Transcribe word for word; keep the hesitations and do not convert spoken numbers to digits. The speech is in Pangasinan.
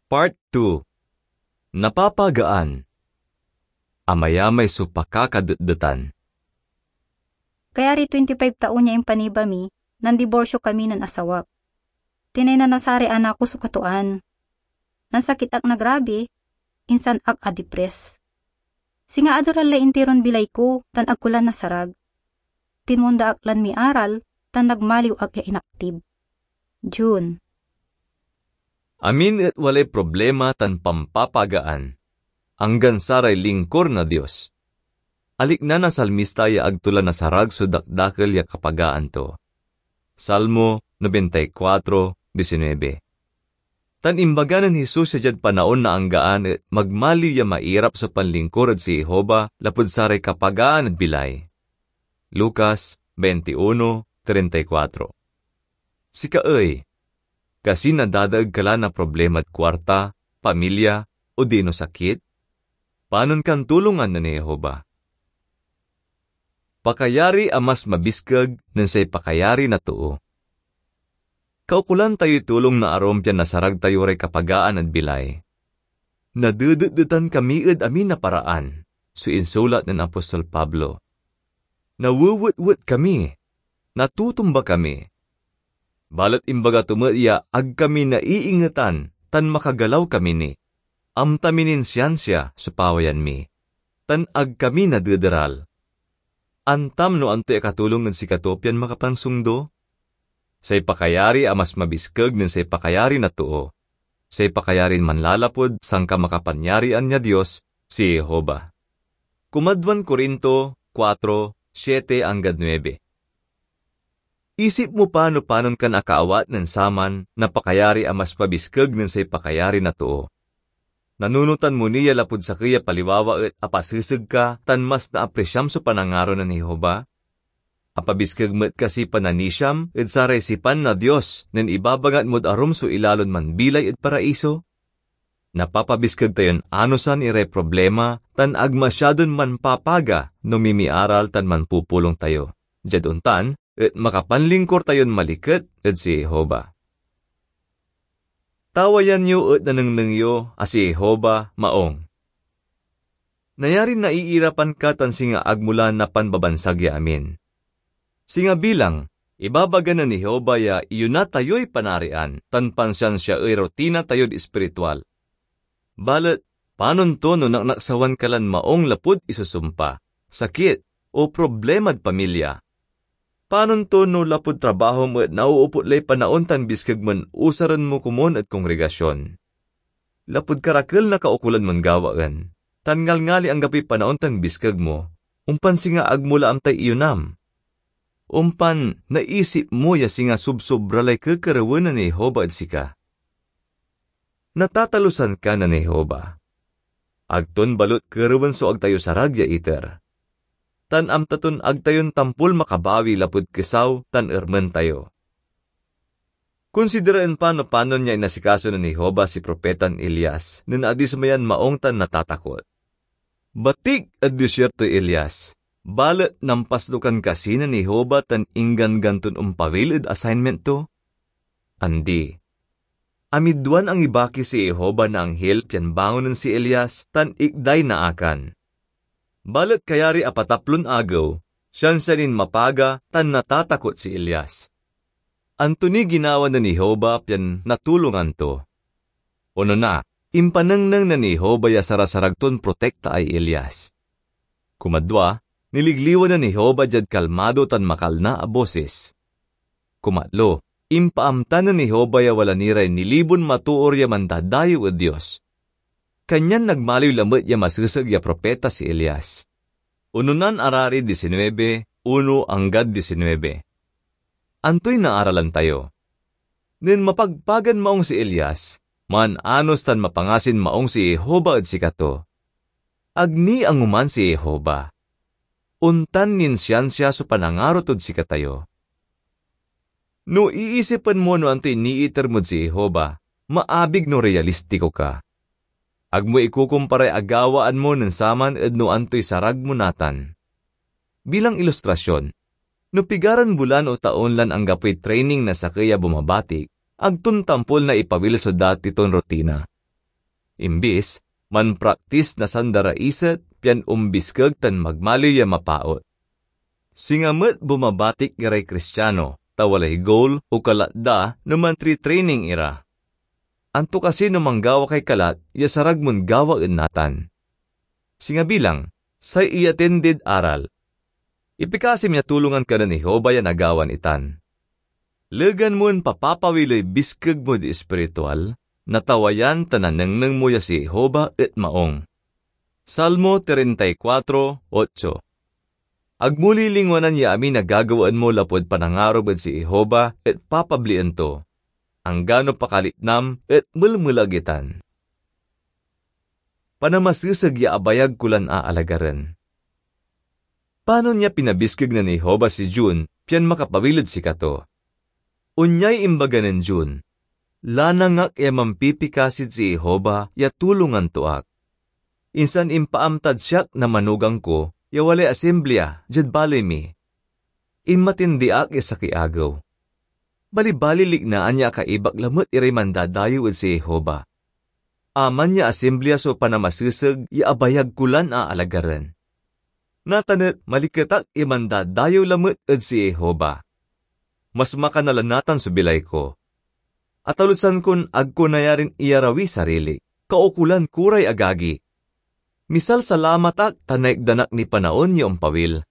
Part two. Napapagaan. Amayamay so pakakadetdetan. Kayari twenty-five taon ya impaniba mi, nandiborsyo kami nen asawak. Tinaynan na saray anak ko so katuaan. Nansakit ak na grabe, insan ak adipres. Singa aderal lay intiron bilay ko tan ag ko la nasarag. Tinmonda ak lan miaral tan nagmaliw ak ya inaktib. June. Amin et walay problema tan pampapagaan, anggan saray lingkor na Dios. Alikna na salmista ya ag to la nasarag so dakdakel ya kapagaan to. Salmo nobenta y kuatro, disinwebe. Tan imbaga nen Jesus ya diad panaon na anggaan et magmaliw ya mairap so panlingkur ed si Jehovah lapud saray kapagaan ed bilay. Lucas veintiuno treinta y cuatro. Sika ey, kasi nadadaeg ka la na problemad kuarta, pamilya, odino sakit? Panon kan tulongan nen Jehovah? Pakayari a mas mabiskeg nen say pakayari na too. Kaukolan tayoy tulong na arum pian nasarag tayo ray kapagaan ed bilay. "Nadedetdetan kami ed amin a paraan," so insulat nen apostol Pablo. "Nawewetwet kami, natutumba kami." Balet imbaga to met ya ag kami naiingetan tan makagalaw kami ni. Amta mi nin siansia so pawayan mi, tan ag kami nadederal. Antam no antoy akatulong ed sikato pian makapansongdo? Say pakayari a mas mabiskeg nen say pakayari na too, say pakayarin manlalapud sankamakapanyaryaan ya Dios, si Jehovah. Kumadwan Corinto kuatro, siete anggad nuebe. Isip mo pa no panon kan akaawat nen saman na pakayari a mas pabiskeg nen say pakayari na too. Nanunotan mo ni ya lapud sakey a paliwawa et apaseseg ka tan mas naaprisiam so panangaro nen Jehovah? Apabiskeg met kasi pananisiam ed saray sipan na Dios nen ibabangat mod arum so ilalon manbilay ed Paraiso? Napapabiskeg tayon anosan iray problema tan ag masiadon manpapaga no mimiaral tan manpupulong tayo. Diad ontan, et makapanlingkur tayon maliket ed si Jehovah. Tawayan yo et nanengneng yo a si Jehovah maong. Nayarin naiirapan ka tan singa ag mo la napanbabansag ya amin. Singa bilang, ibabaga nen Jehovah ya iyona tayoy Panarian tan pansiansiaey rutina tayod espiritual. Balet, panon to no naknaksawan ka lan maong lapud isusumpa, sakit, o problemad pamilya? Panon to no lapud trabahom et nauupot lay panaon tan biskeg mon usaren mo komun ed kongregasyon? Lapud karakel na kaukolan mon gawaen, tan ngalngali anggapoy panaon tan biskeg mo, ompan singa ag mo la amtay iyonam. Ompan naisip mo ya singa sobsobra lay kekerewen nen Jehovah ed sika. Natatalusan ka nen Jehovah. Ag ton balut kerewen so ag tayo sarag ya iter. Tan amta ton ag tayon tampol makabawi lapud kesaw tan ermen tayo. Konsideraen pa no panon ya inasikaso nen Jehovah si propetan Elias nen adismayan maong tan natatakot. Batik ed desierto si Elias, balet nampasnukan kasi nen Jehovah tan ingganggan ton ompawil ed assignment to? Andi. Amidwan angibaki si Jehovah na anghil pian bangonen si Elias tan ikday naakan. Balet kayari apataplon agew, siansia nin mapaga tan natatakot si Elias. Anto niy ginawa nen Jehovah pian natulongan to? Onona, impanengneng nen Jehovah ya sarasarag ton protektaay Elias. Kumadwa, niligliwan nen Jehovah diad kalmado tan makalna a bosis. Kumatlo, impaamta nen Jehovah ya wala ni ray nilibon matoor ya mandadayew ed Dios. Kanyan nagmaliw lamet ya maseseg ya propeta si Elias. Ononan Arari disinwebe, uno anggad disinwebe. Antoy naaralan tayo? Nen mapagpagan maong si Elias, maan-anos tan mapangasin maong si Jehovah ed sikato. Ag ni angoman si Jehovah. Ontan nin siansia so panangaro tod sikatayo. No iisipen mo no antoy niiter mod si Jehovah, maabig no realistiko ka. Ag mo ikukumparay agawaan mo nen saman ed no antoy sarag mo natan. Bilang ilustrasyon, no pigaran bulan o taon lan anggapoy training na sakey a bumabatik, ag ton tampol na ipawil so dati ton rutina. Imbis, manpraktis na sanda ra iset pian ombiskeg tan magmaliw ya mapaot. Singa met bumabatik iray Kristiano, ta walay goal o kalat da no mantritraining ira. Anto kasi no manggawa kay kalat ya sarag mon gawaen natan? Singa bilang, say iatindid aral. Ipikasim ya tulongan ka nen Jehovah ya nagawan itan. Legan mon papapawiley biskeg mod espiritual, natawayan tan nanengneng mo ya si Jehovah et maong. Salmo treinta y cuatro, ocho. Ag mo lilingwanan ya amin a gagawaen mo lapud panangarom ed si Jehovah et papablien to, anggano pakalipnam et melmelag itan. Panamaseseg ya abayag ko lan aalagaren. Panon ya pinabiskeg nen Jehovah si June pian makapawil ed sikato? Onyay imbaga nen June, "Lanang ak ya mampipikasid si Jehovah ya tulongan to ak. Insan impaamtad siak na manugang ko ya walay Asemblia diad baley mi. Inmatindi ak ya sakey agew. Balibali liknaan ya akaibak lamet iray mandadayew ed si Jehovah. Aman ya Asemblia so panamaseseg ya abayag ko lan aalagaren. Natan et maliket ak ya mandadayew lamet ed si Jehovah. Mas makana la natan so bilay ko. Atalusan kon ag ko nayarin iyarawiy sarili. Kaukolan ko ray agagi. Misalsalamat ak ta naitdan ak niy panaon ya ompawil,